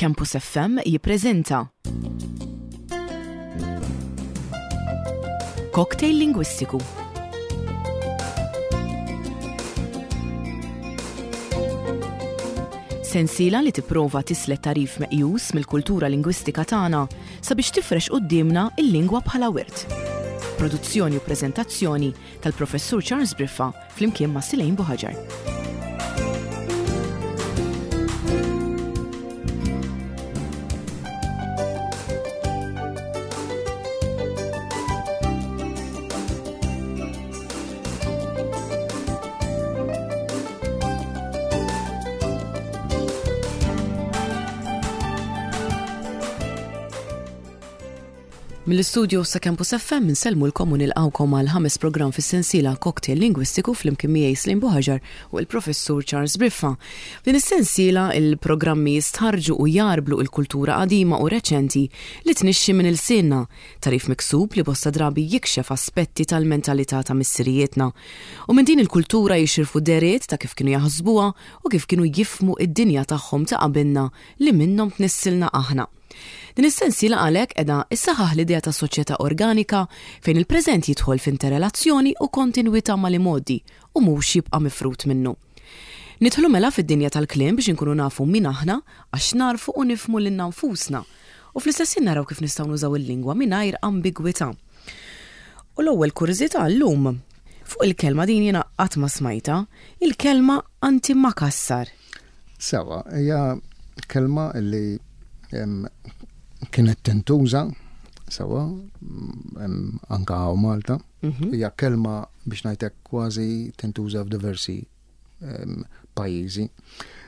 Campus FM jippreżenta Cocktail Lingwistiku. Sensiela li tipprova tislet tagħrif meqjus mill-kultura lingwistika tagħna sabiex tifrex quddiemna l-lingwa bħala wirt. Produzzjoni u preżentazzjoni tal-Professur Charles Briffa flimkien ma' Silejn Buħaġar. Mill-istudio sa Campus FM insellmulkom u nilqgħukom għal ħames programm fis-sensiela Cocktail Lingwistiku flimkien miegħi Slim Buħaġar u l-Professur Charles Briffa. F'din is-sensiela il-programmi jistħarrġu u jgħarblu il-kultura qadima u reċenti li tnixxi minn ilsienna, tagħrif miksub li bosta drabi jikxef aspetti tal-mentalità ta' missirijietna. U minn din il-kultura jixirfu dehriet ta' kif kienu jaħsbuha u kif kienu jifhmu id-dinja tagħhom ta' qabilna li minnhom tnissilna aħna. Din is-sensiela għalhekk qiegħda ssaħħaħ l-idea ta' soċjetà organika fejn il-preżent jidħol f'interrelazzjoni u kontinwità mal-imgħoddi u mhux jibqa' mifrud minnu. Nidħlu mela fid-dinja tal-kliem biex inkunu nafu min aħna għax nagħrfu u nifhmu lilna nfusna u fl-istess ħin naraw kif nistgħu nużaw il-lingwa mingħajr ambigwità. U l-ewwel kurżità llum fuq il-kelma din jiena qatt ma smajtha, il-kelma antimakassar. Sewa, hija kelma li kienet tintuża sewa anka hawn Malta. Mhm. Hija kelma biex ngħidlek kważi tintuża f'diversi pajjiżi.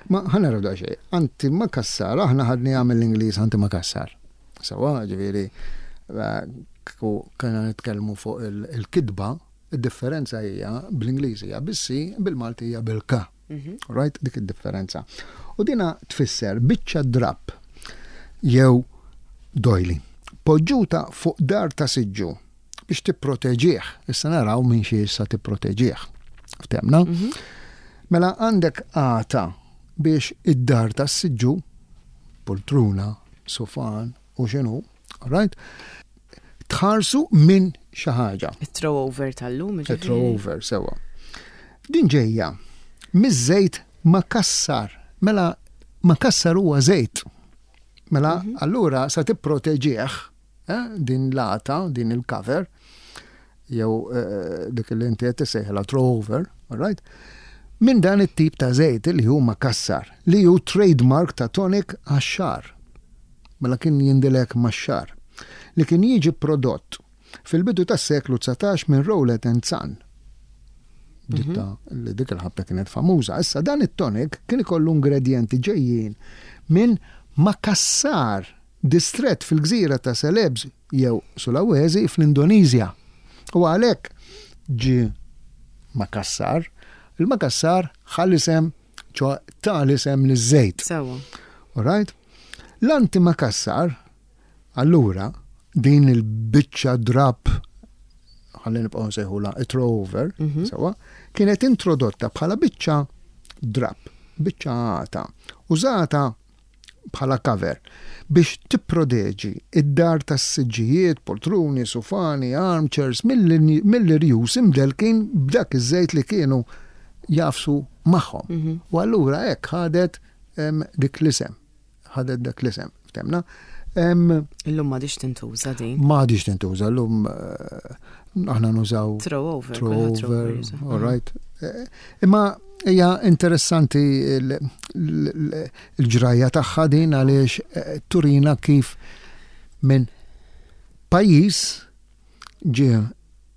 Ma ħa naraw daqsxejn, anti makassar, aħna ħadni għamil l-Ingliż anti makassar. Sewa, ġifieri, eh, kena nitkellmu fuq il-kitba, id-differenza hija bl-Ingliż hija bis-C, bil-Malti hija bil-K. Mhm. Right? Dik id-differenza. U dina tfisser biċċa drapp jew dojli. Poġġuta fuq dar ta' siġġu biex tipproteġih. Issa naraw minn xi issa tipproteġih. Ftemna? Mhm. Mela għandek għata biex id-dar ta' siġġu, poltruna, sofan u xinu, right? Tħarsu minn xi ħaġa. It-throw over tal-lum. It-throw over, sewa. Din ġejja miż-żejt makassar. Mela makassar huwa żejt. Mela mhm. allura sa tipproteġih eh, din l-għata, din il-cover, jew eh, dik li inti qed tissejħilha throw over, all right? Minn dan it-tip ta' żejt li hu makassar, li hu trademark ta' tonic għax-xagħar. Mela kien jindilek max-xagħar. Li kien jiġi prodott fil-bidu tas-seklu 19 minn Rowlett and Son. Ditta mhm. li dik il-ħabta kienet famuża. Issa dan it-tonic kien ikollu ingredjenti ġejjin minn Makassar, distrett fil-gżira ta' Celebes jew Sulawesi fl-Indoneżja. U għalhekk ġie Makassar. Il-Makassar ħa l-isem, ċo ta l-isem liż-żejt. Sewa. All right? L-antimakassar, allura, din il-biċċa drapp ħalli nibqgħu nsejħulha it-throw over, mhm. sewa, kienet introdotta bħala biċċa drapp, biċċa għata, użata bħala cover biex tipprodeġi id-dar tas-siġġijiet, poltruni, sufani, armchairs mill-irjus imdelkin b'dak iż-żejt li kienu jafsu magħhom. Mhm. U allura hekk ħadet dik l-isem. Ħadet dak l-isem, ftemna. Illum m'għadix tintuża din. M'għadix tintuża, illum eh, aħna nużaw. Throw over. Throw over, all right. Eh, imma hija interessanti l-ġrajja tagħha din għaliex eh, turina kif minn pajjiż ġie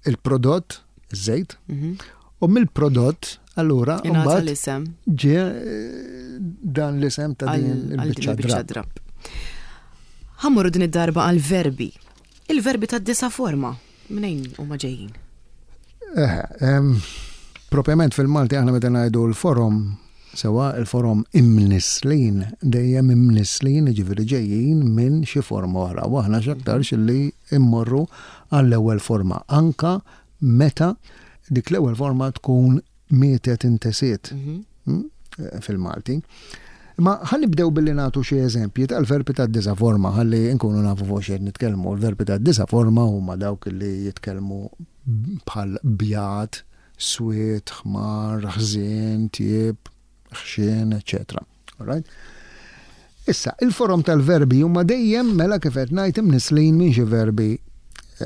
il-prodott, iż-żejt, mhm. u mill-prodott allura mbagħad l-isem. Ġie eh, dan l-isem ta' din il-biċċa drapp. Ħammuru din id-darba għal-verbi. Il-verbi ta' disa forma, mnejn huma ġejjin? Eh, propjament fil-Malti aħna meta ngħidu l-forom Sewwa, il-forom imnisslin, dejjem imnisslin, jiġifieri ġejjin minn xi forma oħra. U aħna x'aktarx li mmorru għall-ewwel forma, anka meta dik l-ewwel forma tkun mietet intesiet mhm. hmm, fil-Malti. Imma ħa nibdew billi nagħtu xi eżempji tal-verbi tad-disa' forma ħalli nkunu nafu fuq x'qed nitkellmu. Il-verbi tad-disa' forma huma dawk li jitkellmu bħal bjad, swied, ħmar, ħżien, tjieb, ħxien, eċċetera. Alright? Issa, il-forom tal-verbi huma dejjem mela kif qed ngħid imnisslin minn xi verbi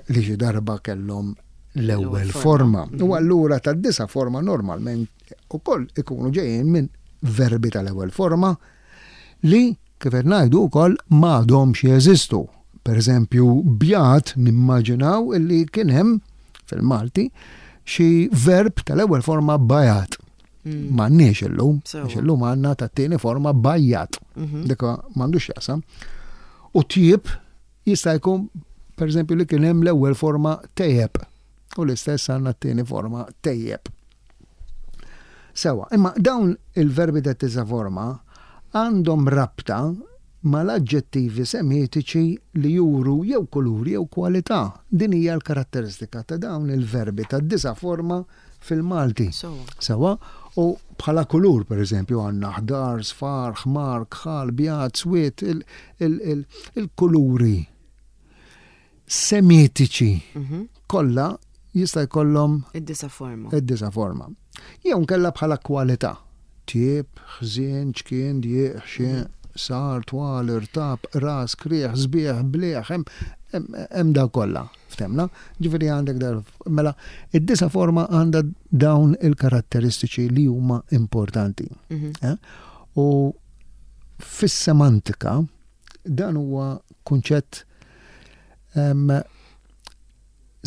li xi darba kellhom l-ewwel forma. U allura tad-disa' forma normalment ukoll ikunu ġejjin minn verbi tal-ewwel forma li, kif qed ngħidu wkoll, m'għadhomx jeżistu. Pereżempju, bjad nimmaġinaw illi kien hemm fil-Malti xi verb tal-ewwel forma bajat. Mm. M'għandniex illum, għax illum għandna tat-tieni forma bajjat. Mhm. Dik m'għandux jaqsam. U tjib jista' jkun pereżempju li kien hemm l-ewwel forma tejjeb. U l-istess għandna t-tieni forma tejjeb. Sewa, imma dawn il-verbi ta' tisa forma għandhom rabta mal-aġġettivi semitiċi li juru jew kulur jew kwalità. Din hija l-karatteristika ta' dawn il-verbi tad-disa' forma fil-Malti. Sewa, u bħala kulur, per eżempju, għandna ħdar, sfar, ħmar, kħal, bjad, swied, il-kuluri semitiċi mhm. kollha jista' jkollhom id-disa forma. Id-disa forma. Jew nkella bħala kwalità. Tjieb, ħżien, ċkien, djieq, ħxien, sar, twal, irtab, ras, krieħ, sbieħ, bliħ, hemm daw kollha. Ftemna? Ġifieri għandek dar mela id-disa forma għandha dawn il-karatteristiċi li huma importanti. Mhm. Eh? U fis-semantika Dan huwa kunċett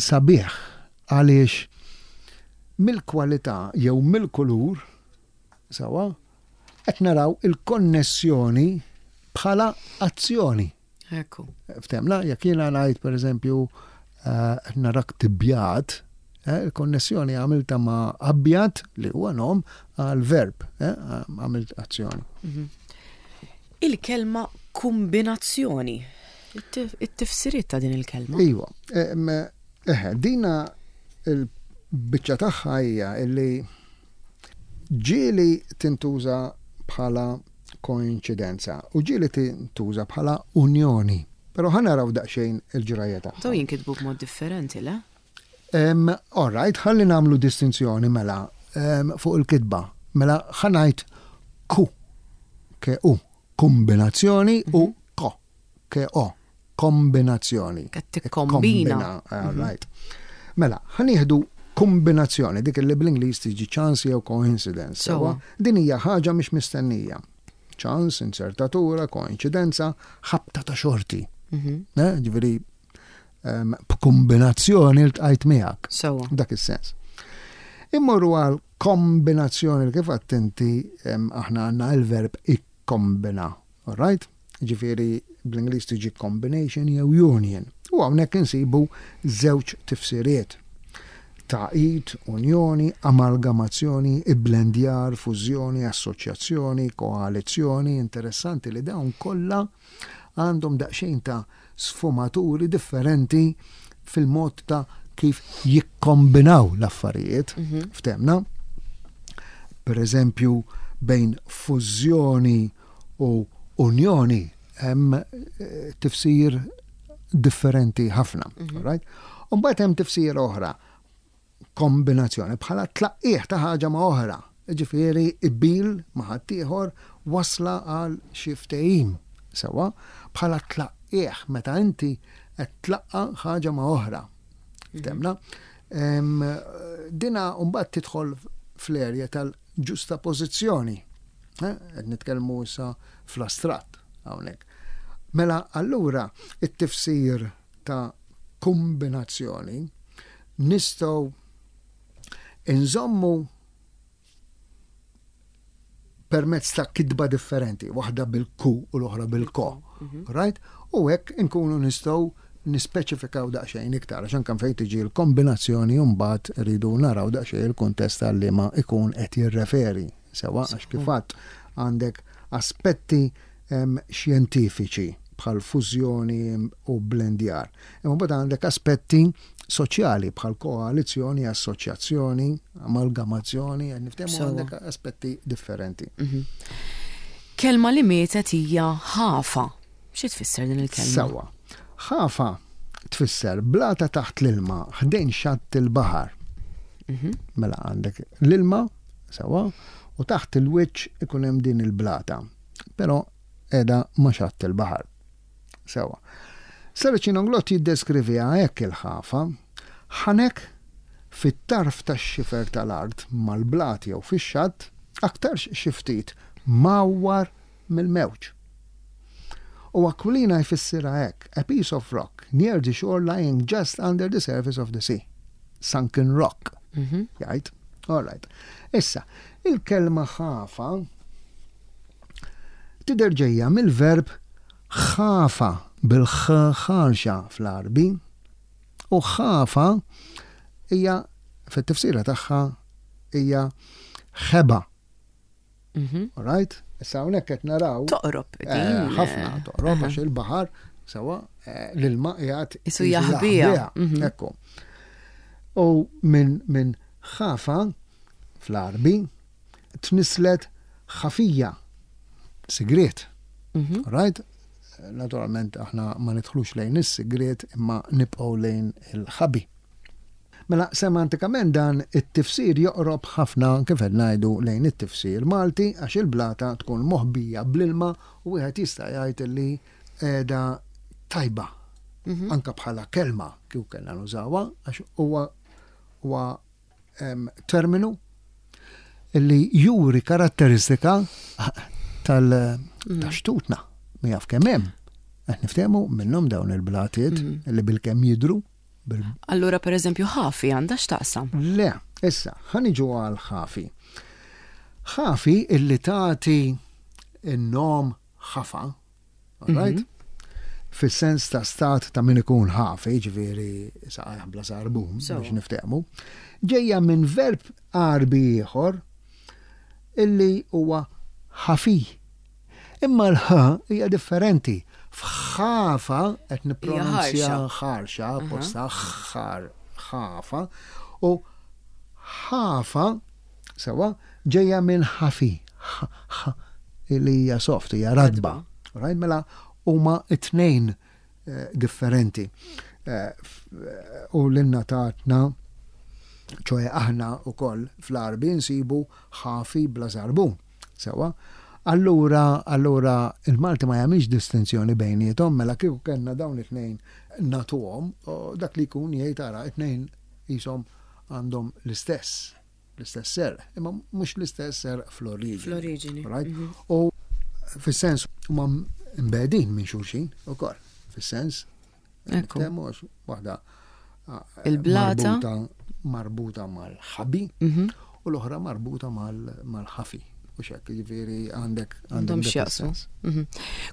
sabiħ għaliex mill-kwalità jew mill-kulur sewwa qed naraw il-konnessjoni bħala azzjoni. Ekku. Ftemna, jekk jiena ngħid pereżempju eh, qed narak tibjad, eh, il-konnessjoni għamilta ma' abjad li huwa nom għal verb, eh, għamilt azzjoni. Mhm. Il-kelma kumbinazzjoni. It-tifsiriet ta' din il-kelma. Iva. Eħe, dina il-biċċa tagħha hija illi ġieli tintuża bħala koinċidenza u ġieli tintuża bħala unjoni. Però ħa naraw daqsxejn il-ġrajja tagħha. Dawn jinkitbu b'mod differenti, le? All right, ħalli nagħmlu distinzjoni mela fuq il-kitba. Mela ħa ngħid ku, ke u, kombinazzjoni u mhm. ko, ke o, kombinazzjoni. Qed tikkombina. All mhm. right. Mela, ħa nieħdu kombinazzjoni, dik li bl-Ingliż tiġi chance jew coincidence. Sewa, din hija ħaġa mhix mistennija. Chance, inzertatura, koincidenza, ħabta ta' xorti. Mhm. Eh, ġifieri b'kombinazzjoni ltqajt miegħek. Sewa. Dak is-sens. Immorru għal kombinazzjoni li kif attenti aħna għandna il-verb ikkombina. All right? Ġifieri bl-Ingliż tiġi combination jew union. U hawnhekk insibu żewġ tifsiriet. Tagħqid, unjoni, amalgamazzjoni, ibblendjar, fużjoni, assoċjazzjoni, koalizzjoni, interessanti li dawn kollha għandhom daqsxejn ta' sfumaturi differenti fil-mod ta' kif jikkombinaw l-affarijiet, mhm. ftemna. Per eżempju, bejn fużjoni u unjoni hemm eh, tifsir differenti ħafna. Mhm. Right? U mbagħad hemm tifsir oħra kombinazzjoni bħala tlaqqigħ ta' ħaġa ma' oħra, jiġifieri qbil ma' ħaddieħor wasla għal xi ftehim, sewwa, bħala tlaqqigħ meta inti qed tlaqqa' ħaġa ma' oħra. Ftemna? Dina mbagħad tidħol fl-erja tal-ġustapożizzjoni. Eh, qed nitkellmu issa fl-astratt hawnhekk. Mela allura it-tifsir ta' kombinazzjoni nistgħu inżommu permezz ta' kitba differenti, waħda bil-ku u l-oħra bil-ko. Mhm. Right? U hekk inkunu nistgħu nispeċifikaw daqsxejn iktar, għax anke fejn tiġi l-kombinazzjoni mbagħad rridu naraw daqsxejn il-kuntest għal liema ikun qed jirreferi. Sewa għax kif għandek aspetti xjentifiċi bħal fużjoni u blendjar. Imma mbagħad għandek aspetti soċjali bħal koalizzjoni, assoċjazzjoni, amalgamazzjoni, niftehmu għandek aspetti differenti. Mhm. Kelma li mietet hija ħafa. Xi tfisser din il-kelma? Sewwa. Ħafa tfisser blata taħt l-ilma ħdejn xatt il-baħar. Mela għandek l-ilma, sewwa, u taħt il-wiċċ ikun hemm din il-blata. Però qiegħda ma' xatt il-baħar. Sewwa. Saracino Glott jiddeskriviha hekk il-ħafa, Ħanek fit-tarf tax-xifer tal-art mal-blat jew fix-xatt, aktarx xi ftit mgħawwar mill-mewġ. U Aquilina jfissirha hekk, a piece of rock near the shore lying just under the surface of the sea. Sunken rock, jgħid. All right. Issa, il-kelma ħafa Tidher ġejja mill-verb ħafa bil-ħ ħarxa fl-Għarbi u ħafa hija fit-tifsira tagħha hija ħeba. Mhm. All right? Issa hawnhekk qed naraw. Toqrob eh, din. Ħafna toqrob għax il-baħar sewa eh, l-ilma qiegħed isu jaħbiha. Mhm. Ekku. U minn min ħafa fl-Għarbi tnisslet ħafija, sigriet. Mhm. Right? Naturalment aħna ma nidħlux lejn is-sigriet imma nibqgħu lejn il-ħabi. Mela semantikament dan it-tifsir joqrob ħafna kif qed ngħidu lejn it-tifsir Malti għax il-blata tkun moħbija bl-ilma u wieħed jista' jgħid li qiegħda tajba. Mhm. Anka bħala kelma kif kellna nużawha għax huwa huwa terminu li juri karatteristika tal-xtutna. Mm. Jaf kemm hemm. Qed niftehmu minnhom dawn il-blatiet mm. li bil-kemm jidru. Allura per eżempju ħafi għandha x'taqsam? Le, issa, ħaniġu għal ħafi. Ħafi illi tagħti n-nom ħafa Right? Mhm. Fis-sens ta' stat ta' min ikun ħafi, ġifieri saqajh bla sarbun biex niftehmu, ġejja minn verb Għarbi ieħor illi huwa ħafi. Imma l-ħ hija differenti. F'ħafa qed nippronunzja ħarxa, posta ħar ħafa u ħafa Sewwa, ġejja minn ħafi, ħ, ħ, li hija soft, hija ratba. Right? Mela huma t-tnejn eh, differenti. Eh, u l-inna tatna, ċoħe aħna u koll fl-arbi nsibu ħafi bla żarbun. Sewwa? Allura, allura il-Malti ma jagħmilx distinzjoni bejniethom, mela kieku kellna dawn it-tnejn natuhom, dak li jkun jgħid ara it-tnejn qishom għandhom l-istess, l-istess serq, imma mhux l-istess serq fl-oriġini. Fl-oriġini. Right? Mhm. U fis-sens huma mbedin minn xulxin ukoll, fis-sens. Ekku. Waħda il-blata marbuta mal-ħabi mhm. u l-oħra marbuta mal-ħafi. U xek, ġifiri għandek għandhom x'jaqsmu. Mhm.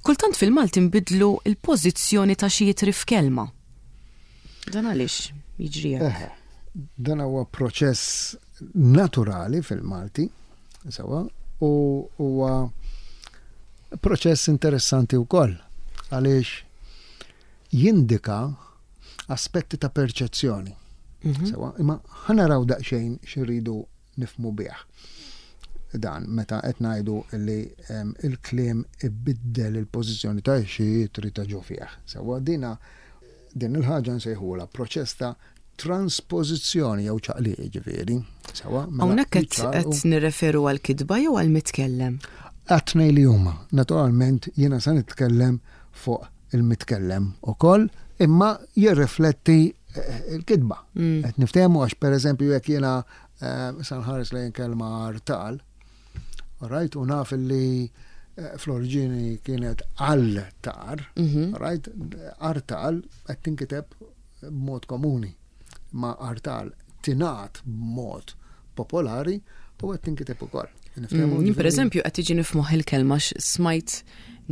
Kultant fil-Malti nbidlu il-pożizzjoni ta' xi jitri f'kelma. Dan għaliex jiġri hekk? Dan huwa proċess naturali fil-Malti, sewa, u huwa proċess interessanti wkoll għaliex jindika aspetti ta' perċezzjoni. Mhm. Sewa, imma ħanaraw daqsxejn xirridu nifhmu bih dan meta qed ngħidu li il-kliem ibiddel il-pożizzjoni ta' xi ittri ta' ġo fih. Sewwa dina din il-ħaġa nsejħulha proċess ta' transpożizzjoni jew ċaqliq jiġifieri. Sewwa mela Hawnhekk qed qed nirreferu għall-kitba jew għall-mitkellem? Għat-tnejn li huma. Naturalment jiena se nitkellem fuq il-mitkellem ukoll, imma jirrifletti eh, il-kitba. Mm. Qed niftehmu għax pereżempju jekk jiena eh, sa nħares lejn kelma artal, right, u naf li eh, fl-oriġini kienet għal-tar, mhm. right, artal qed tinkiteb b'mod komuni, ma artal tingħad b'mod popolari u qed tinkiteb ukoll. Mm, per eżempju, qed tiġi nifmoħ il-kelma smajt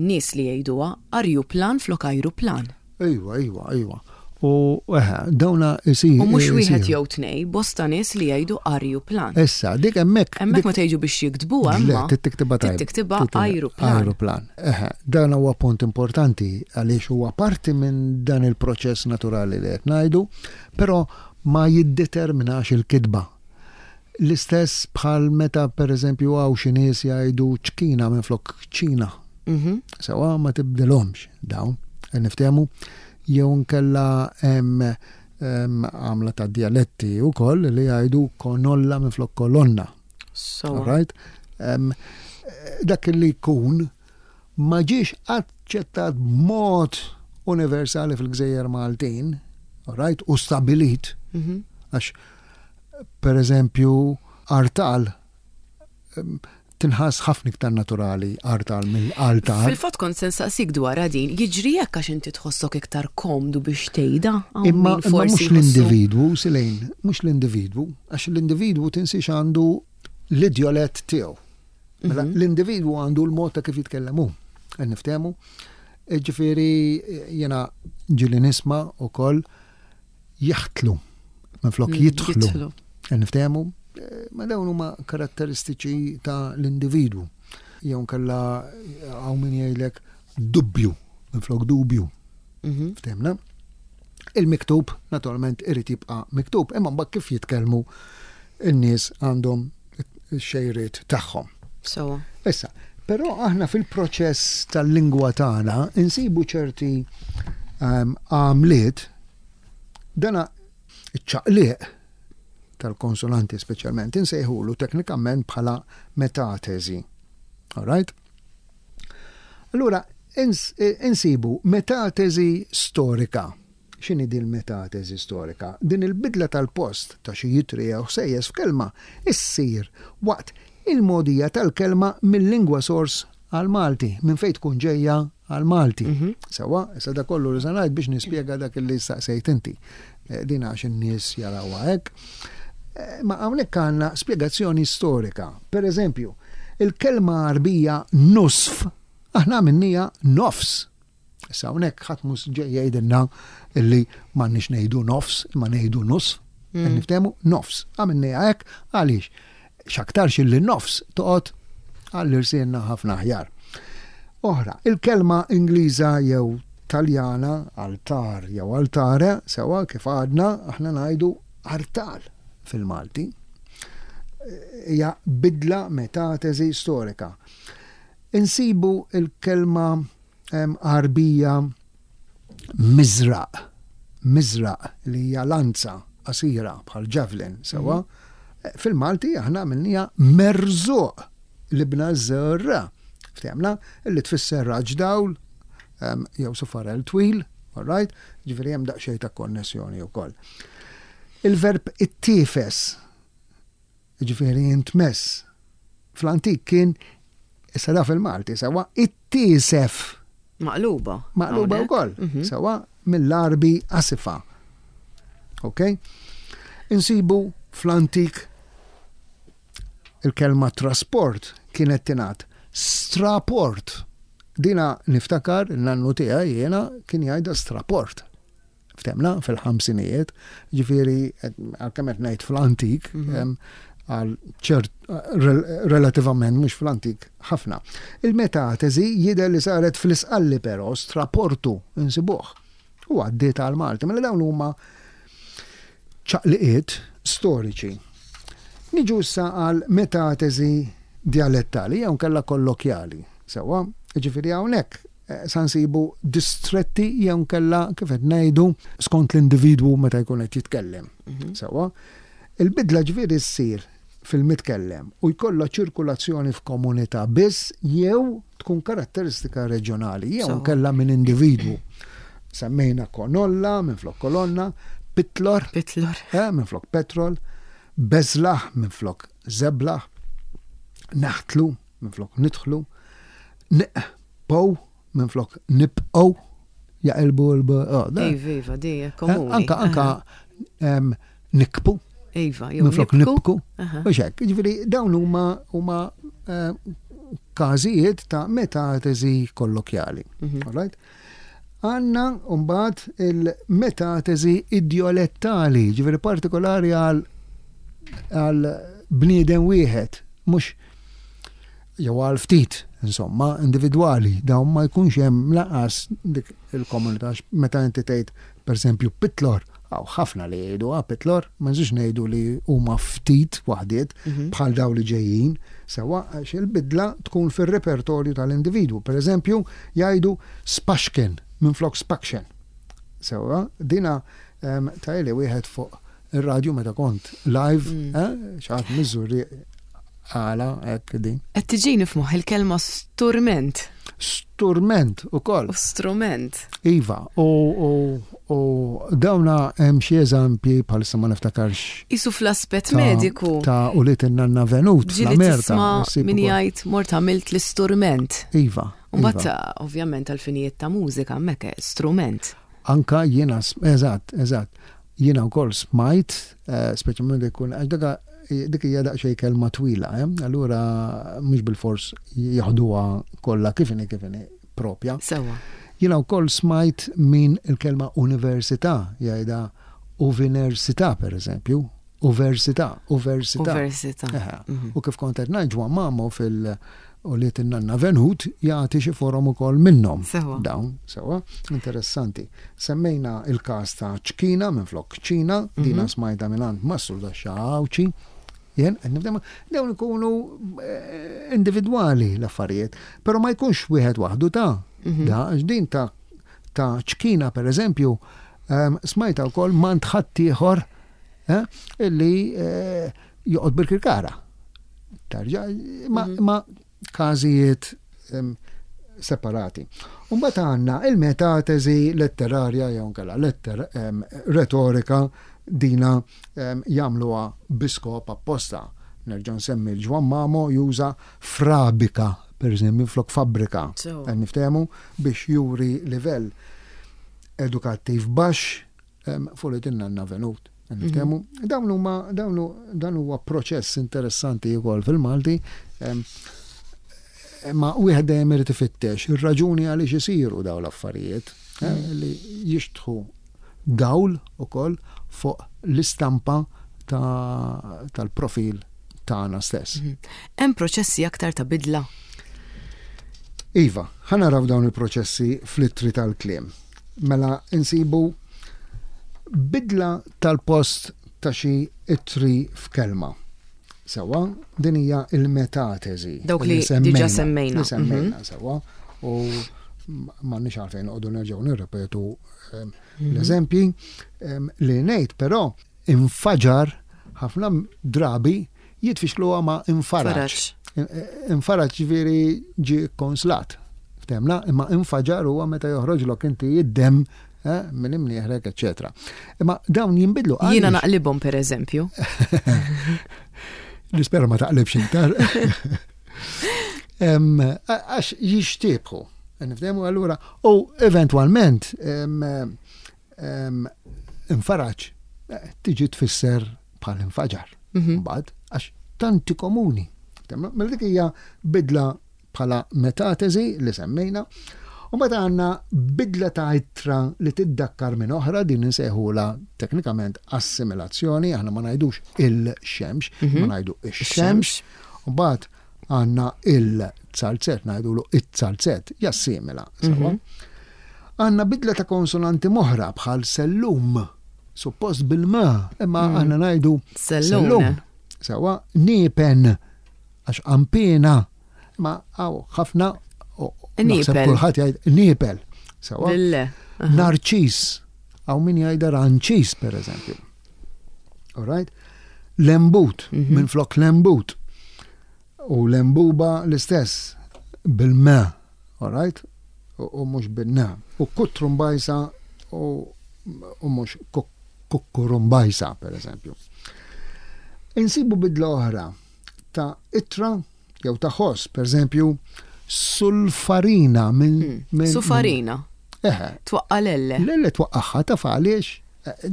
nies li jgħiduha arjuplan flok ajruplan. Ejwa, ejwa, ejwa. U eħe, dawna isir. U mhux wieħed jew tnej, bosta nies li jgħidu arjuplan. Issa, dik hemmhekk. Hemmhekk ma tgħidu biex jiktbuha imma. Le, tiktibha tajb. Tiktibha ajruplan. Ajruplan. Eħe, dan huwa punt importanti għaliex huwa parti minn dan il-proċess naturali li qed ngħidu, però ma jiddeterminax il-kitba. L-istess bħal meta pereżempju hawn xi nies jgħidu ċkina minflok ċina. Sewwa ma tibdilhomx dawn, qed niftehmu, jew inkella hemm għamla ta' djaletti wkoll li jgħidu konolla minflok kolonna. So. Right? Dak li jkun ma ġiex aċċettat b'mod universali fil-gżejjer Maltin, right, u stabilit, mhm. għax per eżempju artal tinħass ħafna iktar naturali artal mill-altar. Fil-fatt kont se nsaqsik dwar din, jiġri hekk għax inti tħossok iktar komdu biex tgħidha? Imma mhux l-individwu, Silejn, mhux l-individwu, għax l-individwu tinsiex għandu l-idjolett tiegħu. Mela mhm. l-individwu għandu l-mod ta' kif jitkellem hu. Qed niftehmu. Ġifieri jiena ġieli nisma' ukoll jaħtlu minflok mm, jidħlu. Qed niftehmu. Eh, ma dawn huma karatteristiċi ta' l-individwu. Jew kella hawn min jgħidlek dubbju minflok dubju. Mhm. Ftehmna? Il-miktub, naturalment, irid jibqa' miktub, imma mbagħad kif jitkellmu n-nies għandhom ix-xejriet tagħhom. Sewwa. Issa, però aħna fil-proċess tal-lingwa tagħna insibu ċerti ehm, għamliet dana iċ-ċaqliq tal-konsonanti speċjalment insejħulu teknikament bħala metatesi. All right? Allura, insibu metatesi storika. X'inhi din il-metatesi storika? Din il-bidla tal-post ta' xi itri jew ħsejjes f'kelma issir waqt il-mogħdija tal-kelma mil-lingwa sors għall-Malti, minn fejn tkun ġejja għall-Malti. Mhm. Sewwa, issa da kollu li se ngħid biex nispjega dak li staqsejt inti. Eh, din għax in-nies jarawha hekk. Eh, ma hawnhekk għandna spjegazzjoni storika. Per eżempju, il-kelma Għarbija nusf aħna għamilniha nofs. Issa hawnhekk ħadd mhux ġej jgħidilna illi m'għandniex ngħidu nofs, imma ngħidu nusf. Mm. Niftehmu nofs. Għamilniha hekk għaliex x'aktarx illi nofs toqgħod għall-irsienna ħafna aħjar. Oħra, il-kelma Ingliża jew Taljana altar jew altare, sewa kif għadna aħna ngħidu artal fil-Malti. Hija bidla metatesi storika. Insibu il-kelma Għarbija miżraq, miżraq li hija lanza qasira bħal javelin, sewwa. Mhm. Fil-Malti aħna għamilniha merżuq li bna żerra. Ftehmna li tfisser raġ dawl jew sufarel twil, all right? Ġifieri hemm daqsxejn ta' konnessjoni wkoll. Il-verb ittifes jiġifieri intmess, fl-antik kien, issa da fil-Malti, sewwa, ittiesef. Maqluba. Maqluba wkoll, mhm. sewwa, mill-Għarbi asifa. Ok? Insibu fl-antik il-kelma trasport kienet tingħad straport. Dina niftakar il-nannu tiegħi jiena kien jgħidha straport. Ftemna fil-ħamsinijiet, ġifieri għalkemm qed ngħid fl-antik, mhm. għal ċert relativament mhux fl-antik ħafna. Il-metatesi jidher li saret fl-isqalli però straportu insibuh u għaddiet għal Malti. Mela dawn huma ċaqliqiet storiċi. Niġu issa għal metatesi dialettali jew kella kollokjali. Sewwa, ġifieri hawnhekk Eh, sa nsibu distretti jew nkella kif qed ngħidu skont l-individwu meta jkun qed jitkellem. Mhm. Sewwa, il-bidla ġifieri ssir fil-mitkellem u jkollha ċirkulazzjoni f'komunità biss jew tkun karatteristika reġjonali jew nkella minn individwu. Semmejna konolla minn flok kolonna, pitlor, pitlor. Eh, minn flok petrol, beżlaħ minn flok zeblaħ, naħtlu minflok nidħlu, neqpow minflok nibqgħu jaqilbu l oh, Iva, iva, di eh, komuni. Anka, anka nikpu. Iva, minflok nibku. U xek, ġifieri dawn huma huma eh, każijiet ta' metatesi kollokjali. Mhm. All right? Għanna mbagħad il-metatesi idjolettali, ġifieri partikolari għal għal bniedem wieħed, mhux jew għal ftit, insomma, individwali, dawn ma jkunx hemm laqas dik il-komunità meta inti tgħid pereżempju Pitlor, Hawn ħafna li jgħiduha pitlor, ma nżidx ngħidu li huma ftit waħdiet bħal dawn li ġejjin, sewwa għax il-bidla tkun fir-repertorju tal-individwu. Per eżempju, jgħidu spaxken minflok spakxen. Sewwa, dina tajli wieħed fuq ir-radju meta kont live, xi ħadd miż-Żurrieq għala hekk din. Qed tiġini f'moħħi l-kelma sturment. Sturment ukoll. U strument. Iva, u, u, u dawna hemm xi eżempji bħalissa ma niftakarx. Isu fl-aspett mediku. Ta' u li tinnanna venut Ġieli fl-Amerika. tisma' issib min ukoll. jgħid mort għamilt l-isturment. Iva. Mbagħad iva. ovvjament għal-finijiet ta' mużika hemmhekk strument. Anka jiena, eżatt, eżatt. Jiena wkoll smajt, speċjalment ikun għax daka dik hija daqsxejn kelma twila, eh? Allura mhux bilfors jaħduha kollha kif inhi kif inhi propja. Sewwa. Jiena wkoll smajt min il-kelma università jgħidha uvinersità pereżempju, uversità, uversità. Uversità. Eħe. U kif kont qed ngħid Ġwann Mamo fil u li tinnanna Venut jagħti xi forom ukoll minnhom. Sewwa. Dawn, sewwa, interessanti. Semmejna il-każ ta' ċkina minflok ċina, dina smajta mingħand Mastru Daxxa Għawdxi. Jien qed nifhem dawn ikunu individwali l-affarijiet, però ma jkunx wieħed waħdu ta' da għax din ta' ta' ċkina pereżempju smajta wkoll m'għand ħaddieħor illi joqgħod bil-Kirkara. Tarġa, ma każijiet separati. Mbagħad għandna il-metatesi letterarja jew inkella letter retorika dina jagħmluha bi skop apposta. Nerġa' nsemmi l-Ġwann Mamo juża frabika, per eżempju, flok fabbrika. Qed niftehmu biex juri livell edukattiv baxx fuq li tinnanna venut. Niftehmu, dawn huma dawn dan huwa proċess interessanti wkoll fil-Malti. Ma wieħed dejjem irid ifittex ir-raġuni għaliex isiru dawn l-affarijiet li jixtħu dawl ukoll fuq l-istampa tal-profil tagħna stess. Hemm proċessi aktar ta' bidla? Iva, ħa naraw dawn il-proċessi fl-ittri tal-kliem. Mela insibu bidla tal-post ta' xi ittri f'kelma. Sewwa, din hija il-metatesi. Dawk li diġà semmejna. Li semmejna, sewwa. U m'għandniex għalfejn noqogħdu nerġgħu nirrepetu l-eżempji. Li ngħid però infaġar ħafna drabi jitfixkluha ma' infaraġ. Infaraġ ġifieri ġie kkonslat. Ftemna, imma infaġar huwa meta joħroġlok inti id-demm minn imnieħrek, eċċetera. Imma dawn jinbidlu. Jiena naqlibhom per eżempju. Nispera ma taqlibx iktar. Għax jixtiebħu. Nifdemu allura u eventwalment infaraġ tiġi tfisser bħal infaġar. Mbagħad għax tanti komuni. Mela dik hija bidla bħala metatesi li semmejna. U mbagħad għandna bidla ta' ittra li tiddakkar minn oħra, din insejħula teknikament assimilazzjoni, aħna ma ngħidux il-xemx, ma ngħidu ix-xemx. U mbagħad għandna il-zalzett, ngħidulu it-zalzett, jassimila. Sewwa. Għandna bidla ta' konsonanti moħra bħal sellum, suppost bil-ma, imma aħna ngħidu sellum. Sewwa, niepen, għax qampina, ma għaw ħafna naħseb kulħadd jgħid niepel. Sewwa. Narċis, għaw min jgħidha ranċis per eżempju. All right? Lembut, minn flok lembut. U lembuba l-istess, bil-ma, all right? U mhux bin-na. U kutrumbajsa u mhux kukkurumbajsa, per eżempju. Insibu bidla oħra ta' ittra jew ta' ħoss, per eżempju, sulfarina minn Sufarina. Eħe. Twaqqa l-elle. L-elle twaqqaħħa taf għaliex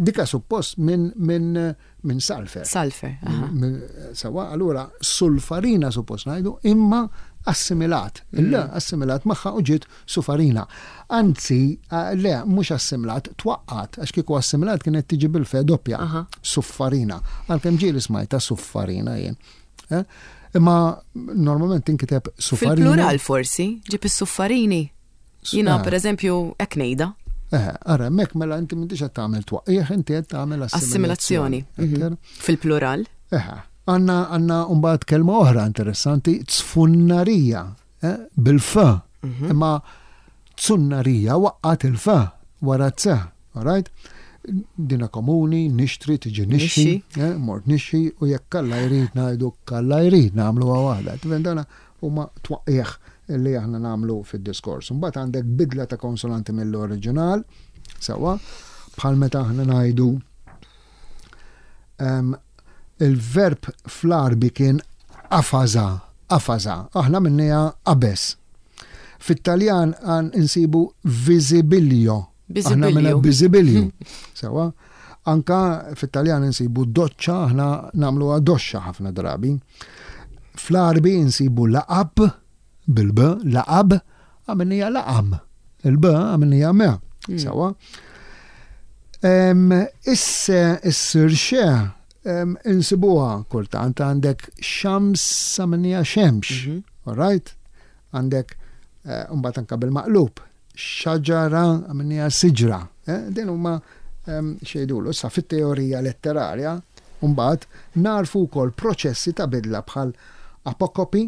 dika suppost minn min, min salfer. Salfer. Sawa, allura sulfarina suppost ngħidu imma assimilat. Le, assimilat magħha u ġiet sufarina. Anzi, le, mhux assimilat, twaqqat, għax kieku assimilat kienet tiġi bil-fe doppja. Suffarina. Għalkemm ġieli smajta suffarina jien. Imma normalment tinkiteb suffarina. Fil-plural forsi, ġib is-suffarini. Jiena per eżempju hekk ngħidha. Eh, ara, hemmhekk mela inti m'intix qed tagħmel twaqqih, inti qed tagħmel assimilazjoni. Mhm. Fil-plural. Eh, għandna għandna mbagħad kelma oħra interessanti, tfunnarija, eh, bil-f. Mhm. Imma tsunnarija waqqat il-f wara c, alright? Dina komuni, nixtri, tiġi nixxi, eh, mort nixxi, u jekk kalla jrid ngħidu kalla jrid nagħmluha waħda. Tifhem dana huma twaqqigħ li aħna nagħmlu fid-diskors. Imbagħad għandek bidla ta' konsonanti mill-oriġinal, sewwa, bħal meta aħna ngħidu ehm, il-verb fl-Arbi kien qafaża, qafaża, aħna minnija qabeż. Fit-Taljan għan insibu visibilio, Aħna minna biżibilju. Sewa. Anka fit-Taljan insibu doċċa, aħna nagħmluha doxxa ħafna drabi. Fl-Arbi insibu laqab bil-b, laqab, għamilnija laqam. Il-b għamilnija me. Hmm. Sewa. Isse issir xe insibuha kultant għandek xams għamilnija xemx. Mhm. All right? Għandek eh, mbagħad anka bil-maqlub Xaġara għamilniha siġra. Eh, din huma ehm, xejdulu. Issa fit-teorija letterarja, mbagħad narfu wkoll proċessi ta' bidla bħal apokopi,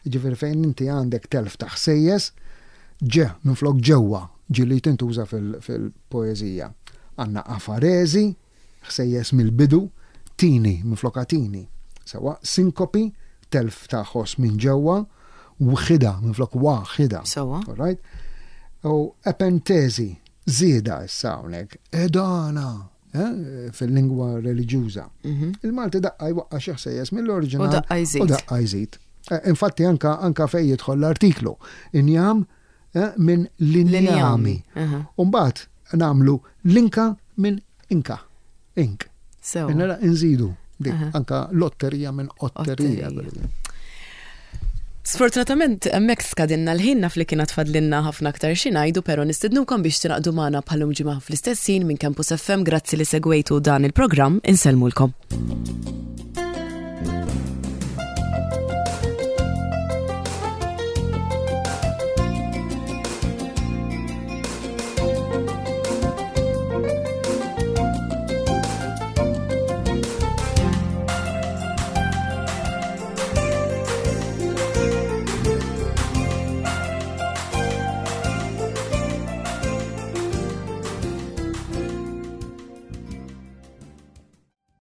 ġifieri fejn inti għandek telf ta' ħsejjes, ġe minflok ġewwa, ġieli tintuża fil-poeżija. Għandna afareżi, ħsejjes mill-bidu, tini minflok atini. Sewwa, sinkopi, telf ta' ħoss minn ġewwa, wħida minflok waħida. Sewwa. All right? U epentesi, żieda issa hawnhekk, edana eh, fil-lingwa reliġjuża. Mhm. Il-Malti daqqa jwaqqa' xi ħsejjes mill-oriġinal. U daqqa jżid. U daqqa jżid. Eh, infatti anka anka fejn jidħol l-artiklu. Injam eh, minn linjami. Umbagħad nagħmlu linka minn inka. Ink. Nara nżidu dik anka lotterija minn otterija. Sfortunatament hemmhekk skadinna l-ħin naf li kien tfadlinna ħafna aktar xi ngħidu però nistednukom biex tingħaqdu magħna bħalum ġimgħa fl-istess ħin minn Campus FM grazzi li segwejtu dan il-programm insellmulkom.